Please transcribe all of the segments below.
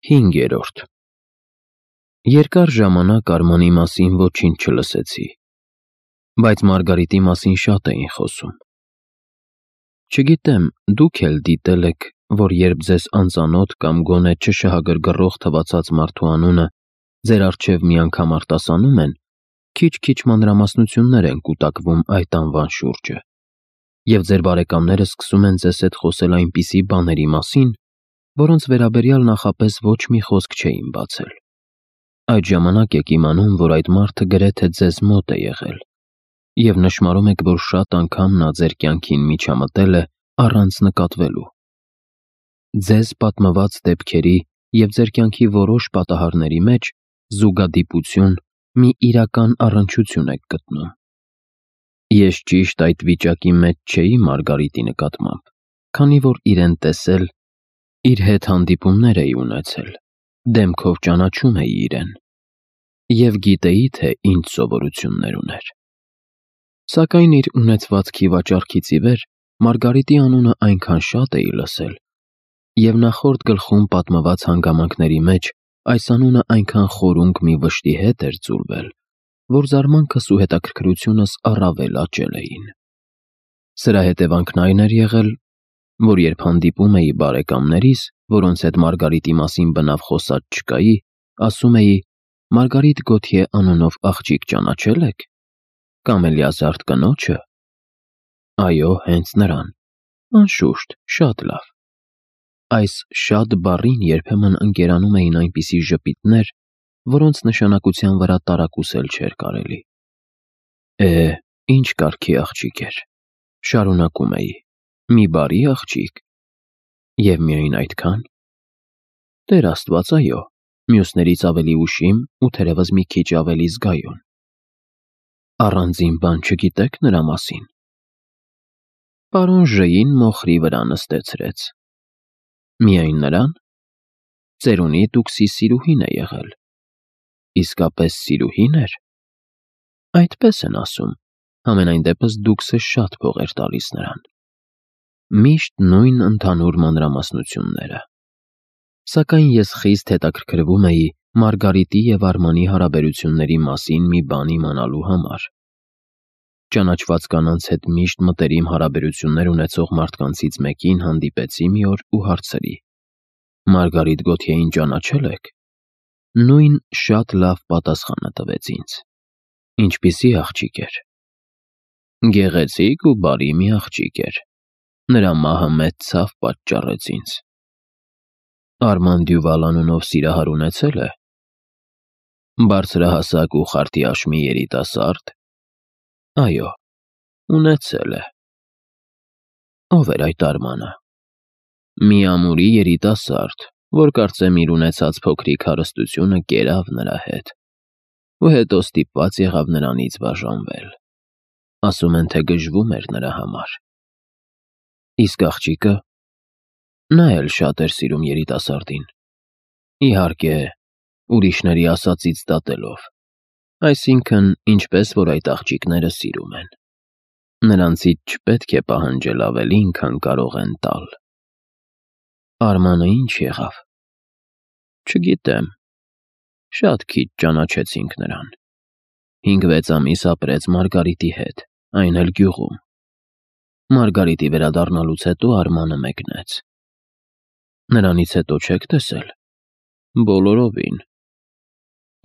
5. Երկար ժամանակ Արմանի մասին ոչինչ չլսեցի, բայց Մարգարիտի մասին շատ էին խոսում։ Չգիտեմ, դուք էլ դիտել եք, որ երբ ձեզ անծանոթ կամ գոնե չշահագրգռող թվացած մարդու անունը ձեր առջև մի անգամ արտասանում են, քիչ-քիչ մանրամասնություններ են կուտակվում այդ անվան շուրջը, և ձեր բարեկամները սկսում են ձեզ հետ խոսել այնպիսի բաների մասին, որոնց վերաբերյալ նախապես ոչ մի խոսք չէին բացել։ Այդ ժամանակ եք իմանում, որ այդ մարդը գրեթե ձեզ մոտ է եղել, և նշմարում եք, որ շատ անգամ նա ձեր կյանքին միջամտել է առանց նկատվելու։ Ձեզ պատմված դեպքերի և ձեր կյանքի որոշ պատահարների մեջ զուգադիպություն, մի իրական առնչություն եք գտնում։ Ես ճիշտ այդ վիճակի մեջ չէի Մարգարիտի նկատմամբ, քանի որ իրեն տեսել, իր հետ հանդիպումներ էի ունեցել, դեմքով ճանաչում էի իրեն, և գիտեի, թե ինչ սովորություններ ուներ։ Սակայն իր ունեցվածքի վաճառքից ի վեր Մարգարիտի անունը այնքան շատ էի լսել, և նախորդ գլխում պատմված հանգամանքների մեջ այս անունը այնքան խորունկ մի վշտի հետ էր ձուլվել, որ զարմանքս ու հետաքրքրությունս առավել աճել էին։ Սրա հետևանքն այն էր եղել, որ երբ հանդիպում էի բարեկամներիս, որոնց հետ Մարգարիտի մասին բնավ խոսած չկայի, ասում էի. «Մարգարիտ Գոթյե անունով աղջիկ ճանաչել եք, կամ Էլիազար կնոջը»։ Այո, հենց նրան։ Անշուշտ, շատ լավ։ Այս «շատ» բառին երբեմն ընկերանում էին այնպիսի ժպիտներ, որոնց նշանակության վրա տարակուսել չէր կարելի։ Ինչ կարգի աղջիկ էր, շարունակում էի, մի բարի աղջիկ։ Եվ միայն այդքան։ Տեր Աստված, այո, մյուսներից ավելի ուշիմ ու թերևս մի քիչ ավելի զգայուն։ Առանձին բան չգիտեք նրա մասին։ Պարոն Ժ-ին մոխրի վրա նստեցրեց։ Միայն նրան։ Ծերունի Տուքսի սիրուհին է եղել։ Իսկապես սիրուհի՞ն էր։ Այդպես են ասում, համենայն դեպս Դուքսը շատ փող էր տալիս նրան։ Միշտ նույն ընդհանուր մանրամասնությունները։ Սակայն ես խիստ հետաքրքրվում էի Մարգարիտի և Արմանի հարաբերությունների մասին մի բան իմանալու համար։ Ճանաչված կանանց հետ միշտ մտերիմ հարաբերություններ ունեցող մարդկանցից մեկին հանդիպեցի մի օր ու հարցրի. «Մարգարիտ Գոթյեին ճանաչել եք»։ Նույն շատ լավ պատասխանը տվեց ինձ։ Ինչպիսի աղջիկ էր։ Գեղեցիկ ու բարի մի աղջիկ էր։ Նրա մահը մեծ ցավ պատճառեց ինձ։ Արման Դյուվալ անունով սիրահար ունեցել է։ Բարձրահասակ ու խարտիաշմի երիտասարդ։ Այո, ունեցել է։ Ո՞վ էր այդ Արմանը։ Մի ամուրի երիտասարդ, որ կարծեմ իր ունեցած փոքրիկ հարստությունը կերավ նրա հետ, ու հետո ստիպված եղավ նրանից բաժանվել։ Ասում են, թե գժվում էր նրա համար։ Իսկ աղջիկը։ Նա էլ շատ էր սիրում երիտասարդին։ Իհարկե, ուրիշների ասածից դատելով, այսինքն, ինչպես որ այդ աղջիկները սիրում են։ Նրանցից չպետք է պահանջել ավելին, քան կարող են տալ։ Արմանը ինչ եղավ։ Չգիտեմ։ Շատ քիչ ճանաչեցինք նրան։ 5-6 ամիս ապրեց Մարգարիտի հետ, այն էլ գյուղում։ Մարգարիտի վերադառնալուց հետո Արմանը մեկնեց։ Նրանից հետո չեք տեսել։ Բոլորովին։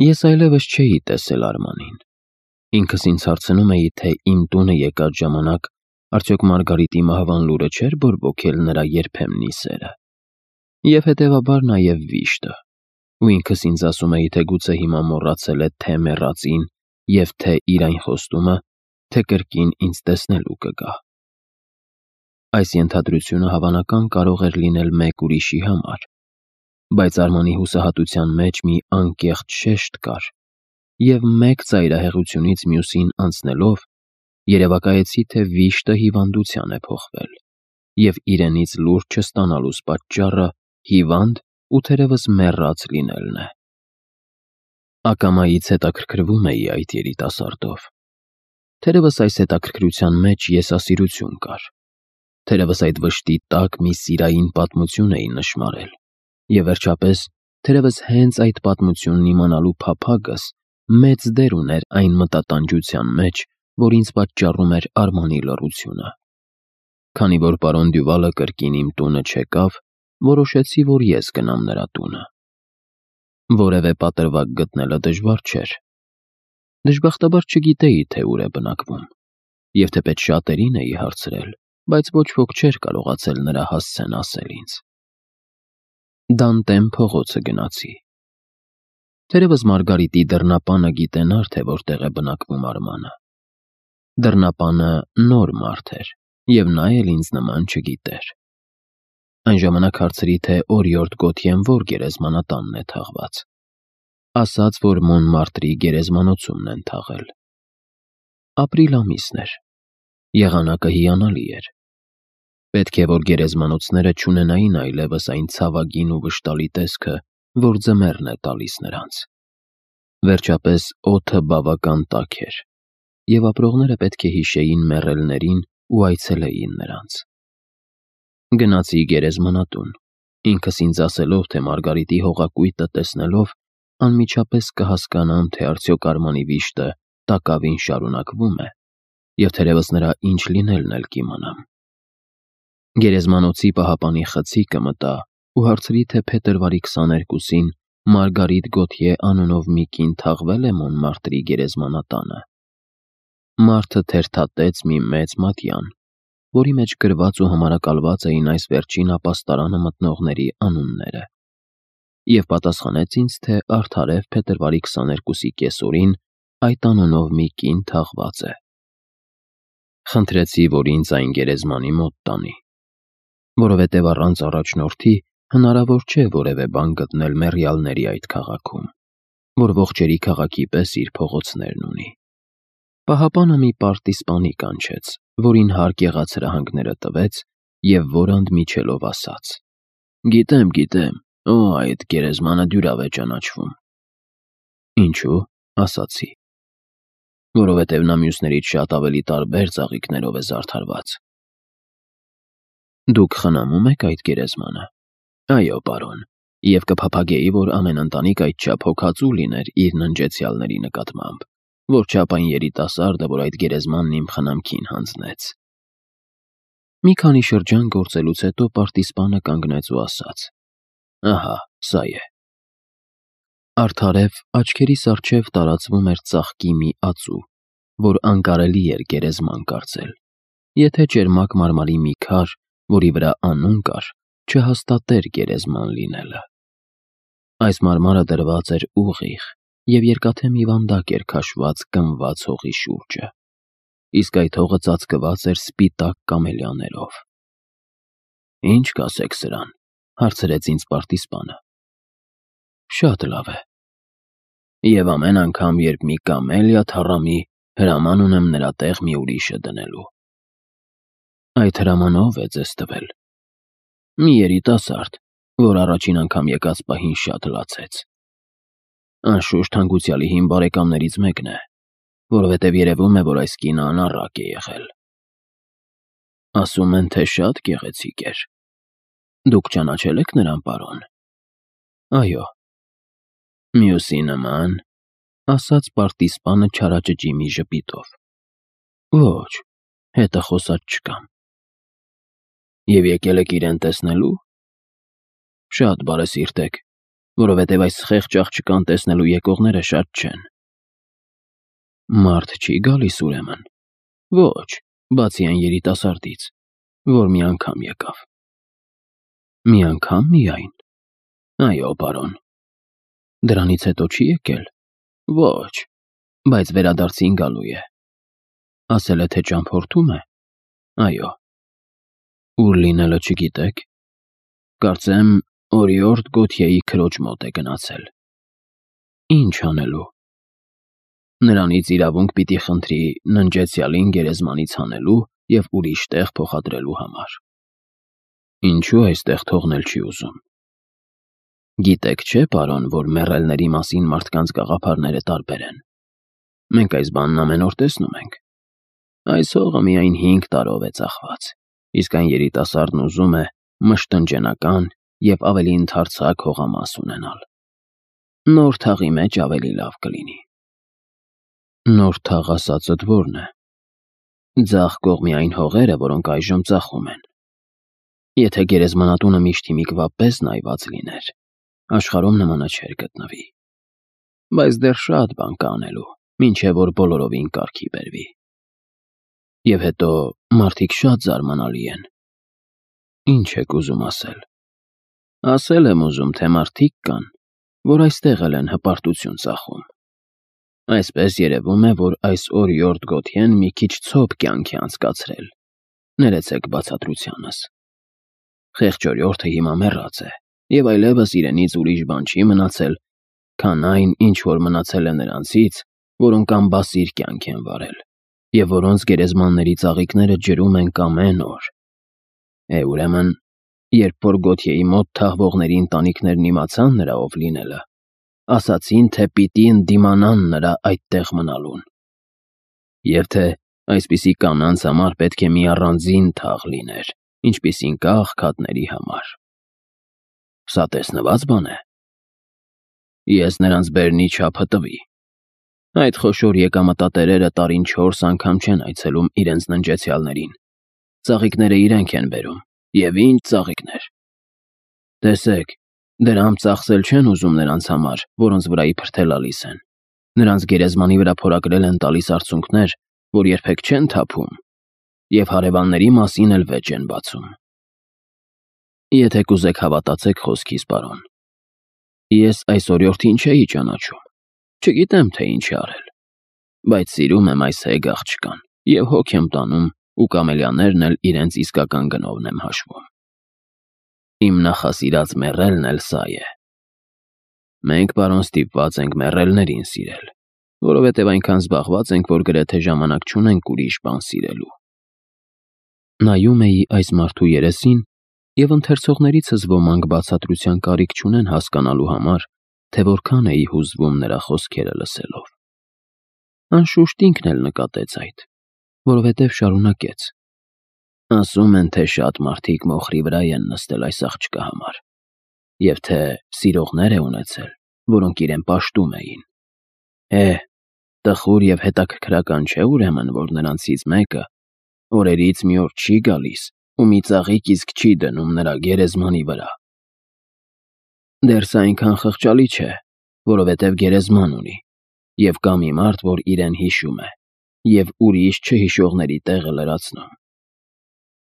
Ես այլևս չէի տեսել Արմանին։ Ինքս ինձ հարցնում էի, թե իմ տունը եկած ժամանակ արդյոք Մարգարիտի մահվան լուրը չէր բորբոքել նրա երբեմնի սերը։ Եվ հետևաբար նաև վիշտը։ Ու ինքս ինձ ասում էի, թե գուցե հիմա մոռացել է թե մեռածին և թե իր այն խոստումը, թե կրկին ինձ տեսնելու կգա։ Այս ենթադրությունը հավանական կարող էր լինել մեկ ուրիշի համար, բայց Արմանի հուսահատության մեջ մի անկեղծ շեշտ կար, և մեկ ծայրահեղությունից մյուսին անցնելով, երևակայեցի, թե վիշտը հիվանդության է փոխվել, և իրենից լուր չստանալուս պատճառը հիվանդ ու թերևս մեռած լինելն է։ Ակամայից հետաքրքրվում էի այդ երիտասարդով։ Թերևս այս հետաքրքրության մեջ եսասիրություն կար։ Թերևս այդ վշտի տակ մի սիրային պատմություն էի նշմարել, և վերջապես Թերևս հենց այդ պատմությունն իմանալու փափագս մեծ դեր ուներ այն մտատանջության մեջ, որ ինձ պատճառում էր Արմանի լռությունը։ Քանի որ պարոն Դյուվալը կրկին իմ տունը չեկավ, որոշեցի, որ ես գնամ նրա տունը։ Որևէ պատրվակ գտնելը դժվար չէր։ Դժբախտաբար չգիտեի, թե ուր է բնակվում, և թեպետ շատերին էի հարցրել, բայց ոչ ոք չէր կարողացել նրա հասցեն ասել ինձ։ Դանտեմ փողոցը գնացի։ Թերևս Մարգարիտի դռնապանը գիտենար, թե որտեղ է բնակվում Արմանը։ Դռնապանը նոր մարդ էր, և նա էլ ինձ նման չգիտեր։ Այն ժամանակ հարցրի, թե օրիորդ Գոթյեն որ գերեզմանատանն է թաղված։ Ասաց, որ Մոնմարտրի գերեզմանոցումն են թաղել։ Ապրիլ ամիսն էր։ Եղանակը հիանալի էր։ Պետք է, որ գերեզմանոցները չունենային այլևս այն ցավագին ու վշտալի տեսքը, որ ձմեռն է տալիս նրանց։ Վերջապես օդը բավական տաք էր, և ապրողները պետք է հիշեին մեռելներին ու այցելեին նրանց։ Գնացի գերեզմանատուն, ինքս ինձ ասելով, թե Մարգարիտի հողակույտը տեսնելով անմիջապես կհասկանամ, թե արդյոք Արմանի վիշտը տակավին շարունակվում է, և թերևս նրա ինչ լինելն էլ կիմանամ։ Գերեզմանոցի պահապանի խցիկը մտա ու հարցրի, թե փետրվարի 22-ին Մարգարիտ Գոթյե անունով մի կին թաղվել է Մոնմարտրի գերեզմանատանը։ Մարդը թերթատեց մի մեծ մատյան, որի մեջ գրված ու համարակալված էին այս վերջին ապաստարանը մտնողների անունները, և պատասխանեց ինձ, թե արդարև փետրվարի 22-ի կեսօրին այդ անունով մի կին թաղված է։ Խնդրեցի, որ ինձ այն գերեզմանի մոտ տանի, որովհետև առանց առաջնորդի հնարավոր չէ որևէ բան գտնել մեռյալների այդ քաղաքում, որ ողջերի քաղաքի պես իր փողոցներն ունի։ Պահապանը մի պարտիզպանի կանչեց, որին հարկ եղած հրահանգները տվեց և որ ընդմիջելով ասաց. Գիտեմ, այդ գերեզմանը դյուրավ է ճանաչվում։ Ինչու՞, ասացի։ Որովհետև նա մյուսներից շատ ավելի տարբեր ծաղիկներով է զարդարված։ Դուք խնամում եք այդ գերեզմանը։ Այո, պարոն, և կփափագեի, որ ամեն ընտանիք այդչափ հոգածու լիներ իր ննջեցյալների նկատմամբ, որչափ այն երիտասարդը, որ այդ գերեզմանն իմ խնամքին հանձնեց։ Մի քանի շրջան գործելուց հետո պարտիզպանը կանգնեց ու ասաց. Ահա, սա է։ Արդարև աչքերիս առջև տարածվում էր ծաղկի մի ածու, որ անկարելի էր գերեզման կարծել, եթե ճերմակ մարմարի մի քար, որի վրա անուն կար, չհաստատեր գերեզման լինելը։ Այս մարմարը դրված էր ուղիղ, և երկաթե մի վանդակ էր քաշված գնված հողի շուրջը, իսկ այդ հողը ծածկված էր սպիտակ կամելիաներով։ Ինչ կասեք սրան, հարցրեց ինձ պարտիզպանը։ Շատ լավ է։ Եվ ամեն անգամ, երբ մի կամելիա թառամի, հրաման ունեմ նրա տեղ մի ուրիշը դնելու։ Այդ հրամանը ով է ձեզ տվել։ Մի երիտասարդ, որ առաջին անգամ եկած պահին շատ լացեց։ Անշուշտ հանգուցյալի հին բարեկամներից մեկն է, որովհետև երևում է, որ այս կինը անառակ է եղել։ Ասում են, թե շատ գեղեցիկ էր։ Դուք ճանաչել եք նրան, պարոն։ Այո։ Մյուսի նման, ասաց պարտիզպանը չարաճճի մի ժպիտով։ Ոչ, հետը խոսած չկամ։ Եվ եկել եք իրեն տեսնելու։ Շատ բարեսիրտ եք, որովհետև այս խեղճ աղջկան տեսնելու եկողները շատ չեն։ Մարդ չի գալիս ուրեմն։ Ոչ, բացի այն երիտասարդից, որ մի անգամ եկավ։ Մի անգամ միայն։ Այո, պարոն։ Դրանից հետո չի եկել։ Ոչ, բայց վերադարձին գալու է։ Ասել է, թե ճամփորդում է։ Այո։ Ուր լինելը չգիտեք։ Կարծեմ, օրիորդ Գոթյեի քրոջ մոտ է գնացել։ Ինչ անելու։ Նրանից իրավունք պիտի խնդրի ննջեցյալին գերեզմանից հանելու և ուրիշ տեղ փոխադրելու համար։ Ինչու այստեղ թողնել չի ուզում։ Գիտեք չէ, պարոն, որ մեռելների մասին մարդկանց գաղափարները տարբեր են։ Մենք այս բանն ամեն օր տեսնում ենք։ Այս հողը միայն 5 տարով է ծախված, իսկ այն երիտասարդն ուզում է մշտնջենական և ավելի ընդարձակ հողամաս ունենալ։ Նոր թաղի մեջ ավելի լավ կլինի։ Նոր թաղ ասածդ ո՞րն է։ Ձախ կողմի այն հողերը, որոնք այժմ ծախում են։ Եթե գերեզմանատունը միշտ հիմիկվա պես նայված լիներ, աշխարհում նմանը չէր գտնվի։ Բայց դեռ շատ բան կա անելու, մինչև որ բոլորովին կարգի բերվի։ Եվ հետո մարդիկ շատ զարմանալի են։ Ինչ եք ուզում ասել։ Ասել եմ ուզում, թե մարդիկ կան, որ այստեղ էլ են հպարտություն ծախում։ Այսպես երևում է, որ այս օրիորդ Գոթյեն մի քիչ ցոփ կյանք է անցկացրել։ Ներեցեք բացատրությանս։ Խեղճ օրիորդը հիմա մեռած է, եւ այլևս իրենից ուրիշ բան չի մնացել, քան այն, ինչ որ մնացել է նրանցից, որոնք անբասիր կյանք են վարել, եւ որոնց գերեզմանների ծաղիկները ջրում են ամեն օր։ Ուրեմն, երբ որ Գոթյեի մոտ թաղվողների ընտանիքներն իմացան նրա ով լինելը, ասացին, թե պիտի ընդդիմանան նրա այդտեղ մնալուն։ Եվ թե այսպիսի կանանց համար պետք է մի առանձին թաղ լիներ, ինչպիսին կա աղքատների համար։ Սա տեսնված բան է։ Ես նրանց բերնի չափը տվի։ Այդ խոշոր եկամտատերերը տարին 4 անգամ չեն այցելում իրենց ննջեցյալներին։ Ծաղիկները իրենք են բերում, եւ ինչ ծաղիկներ։ Տեսեք, դրամ ծախսել չեն ուզում նրանց համար, որոնց վրա իբր թե լալիս են։ Նրանց գերեզմանի վրա փորագրել են տալիս արցունքներ, որ երբեք չեն թափում, եւ հարևանների մասին էլ վեճ են բացում։ Եթե կուզեք հավատացեք խոսքիս, պարոն։ Ես այս օրիորդին չէի ճանաչում, չգիտեմ, թե ինչ է արել, բայց սիրում եմ այս հեգ աղջկան եւ հոգ եմ տանում, ու կամելյաներն էլ իրենց իսկական գնովն եմ հաշվում։ Իմ նախասիրած մեռելն էլ սա է։ Մենք, պարոն, ստիպված ենք մեռելներին սիրել, որովհետև այնքան զբաղված ենք, որ գրեթե ժամանակ չունենք ուրիշ բան սիրելու։ Նայում էի այս մարդու երեսին, եւ ընթերցողներիցս ոմանք բացատրության կարիք չունեն հասկանալու համար, թե որքան էի հուզվում նրա խոսքերը լսելով։ Անշուշտ ինքն էլ նկատեց այդ, որովհետև շարունակեց. Ասում են, թե շատ մարդիկ մոխրի վրա են նստել այս աղջկա համար, եւ թե սիրողներ է ունեցել, որոնք իրեն պաշտում էին։ Տխուր եւ հետաքրքրական չէ ուրեմն, որ նրանցից մեկը օրերից մի օր չի գալիս ու մի ծաղիկ իսկ չի դնում նրա գերեզմանի վրա։ Դեռ սա այնքան խղճալի չէ, որովհետև գերեզման ունի, եւ կա մի մարդ, որ իրեն հիշում է, եւ ուրիշ չհիշողների տեղը լրացնում։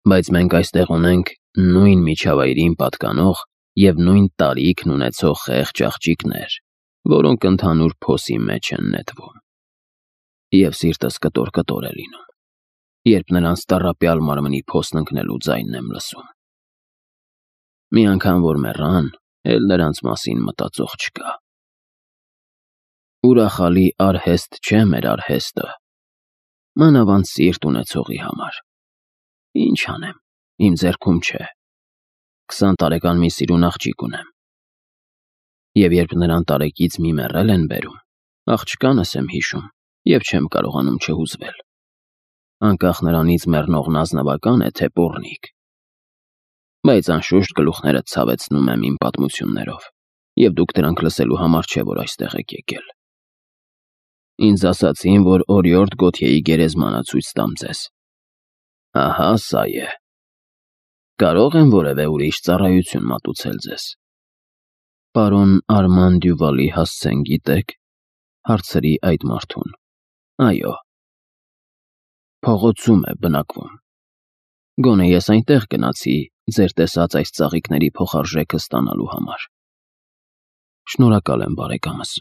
Բայց մենք այստեղ ունենք նույն միջավայրին պատկանող եւ նույն տարիքն ունեցող խեղճ աղջիկներ, որոնք ընդհանուր փոսի մեջ են նետվում։ Եվ սիրտս կտոր է լինում, երբ նրանց տառապյալ մարմնի փոսն ընկնելու ձայնն եմ լսում։ Մի անգամ որ մեռան, էլ նրանց մասին մտածող չկա։ Ուրախալի արհեստ չէ մեր արհեստը, մանավանդ սիրտ ունեցողի համար։ Ինչ անեմ, իմ ձեռքում չէ։ 20 տարեկան մի սիրուն աղջիկ ունեմ։ Եվ երբ նրան տարեկից մի մեռել են բերում, աղջկանս եմ հիշում եւ չեմ կարողանում չհուզվել։ Անկախ նրանից մեռնողն ազնվական է, թե պոռնիկ։ Բայց անշուշտ գլուխներդ ցավեցնում եմ իմ պատմություններով, եւ դուք դրանք լսելու համար չէ, որ այստեղ եք եկել։ Ինձ ասացին, որ օրիորդ Գոթյեի գերեզմանը ցույց տամ ձեզ։ Ահա սա է։ Կարող եմ որևէ ուրիշ ծառայություն մատուցել ձեզ։ Պարոն Արման Դյուվալի հասցեն գիտեք, հարցրի այդ մարդուն։ Այո։ Փողոցում է բնակվում։ Գոնե ես այնտեղ գնացի ձեր տեսած այս ծաղիկների փոխարժեքը ստանալու համար։ Շնորհակալ եմ, բարեկամս։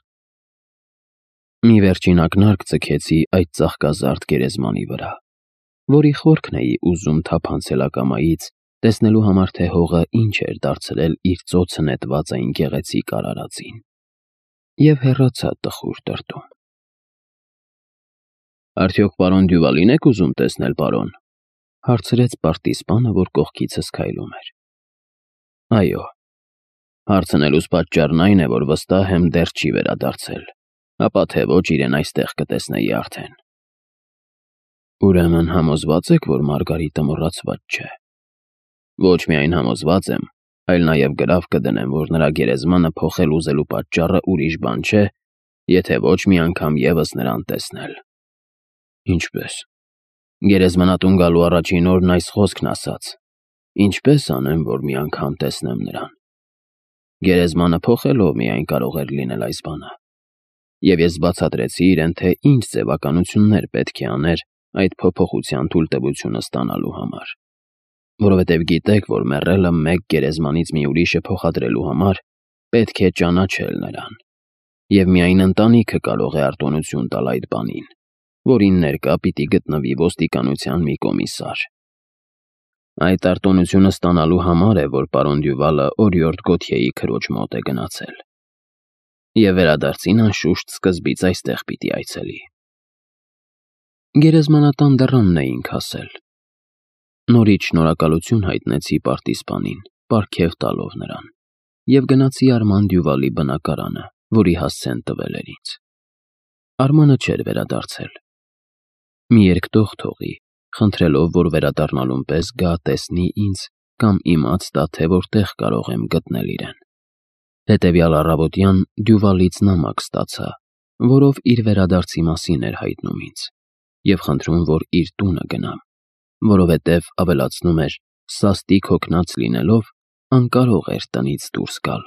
Մի վերջին ակնարկ ձգեցի այդ ծաղկազարդ գերեզմանի վրա, որի խորքն էի ուզում թափանցել ակամայից, տեսնելու համար, թե հողը ինչ էր դարձրել իր ծոցը նետված այն գեղեցիկ արարածին։ Եվ հեռացա տխուր տրտում։ Արդյոք պարոն Դյուվալին եք ուզում տեսնել, պարոն, հարցրեց պարտիզպանը, որ կողքիցս քայլում էր։ Այո։ Հարցնելուս պատճառն այն է, որ վստահ եմ դեռ չի վերադարձել, ապա թե ոչ իրեն այստեղ կտեսնեի արդեն։ Ուրեմն համոզված եք, որ Մարգարիտը մոռացված չէ։ Ոչ միայն համոզված եմ, այլ նաև գրավ կդնեմ, որ նրա գերեզմանը փոխել ուզելու պատճառը ուրիշ բան չէ, եթե ոչ մի անգամ ևս նրան տեսնել։ Ինչպես։ Գերեզմանատուն գալու առաջին օրն այս խոսքն ասաց. ինչպես անեմ, որ մի անգամ տեսնեմ նրան։ Գերեզմանը փոխելով միայն կարող էր լինել այս բանը։ Եվ ես բացատրեցի իրեն, թե ինչ ձևականություններ պետք է աներ այդ փոփոխության թույլտվությունը ստանալու համար։ Որովհետև գիտեք, որ մեռելը մեկ գերեզմանից մի ուրիշը փոխադրելու համար պետք է ճանաչել նրան։ Եվ միայն ընտանիքը կարող է արտոնություն տալ այդ բանին, որին ներկա պիտի գտնվի ոստիկանության մի կոմիսար։ Այդ արտոնությունը ստանալու համար է, որ պարոն Դյուվալը օրիորդ Գոթյեի քրոջ մոտ է գնացել։ Եվ վերադարձին անշուշտ սկզբից այստեղ պիտի այցելի։ Գերեզմանատան դռանն էինք հասել։ Նորից շնորհակալություն հայտնեցի պարտիզպանին, պարգև տալով նրան, և գնացի Արման Դյուվալի բնակարանը, որի հասցեն տվել էր ինձ։ Արմանը չէր վերադարձել։ Մի երկտող թողի, խնդրելով, որ վերադառնալուն պես գա տեսնի ինձ կամ իմաց տա, թե որտեղ կարող եմ գտնել իրեն։ Հետևյալ առավոտյան Դյուվալից նամակ ստացա, որով իր վերադարձի մասին էր հայտնում ինձ, և խնդրում, որ իր տունը գնամ, որովհետև ավելացնում էր, սաստիկ հոգնած լինելով, անկարող էր տնից դուրս գալ։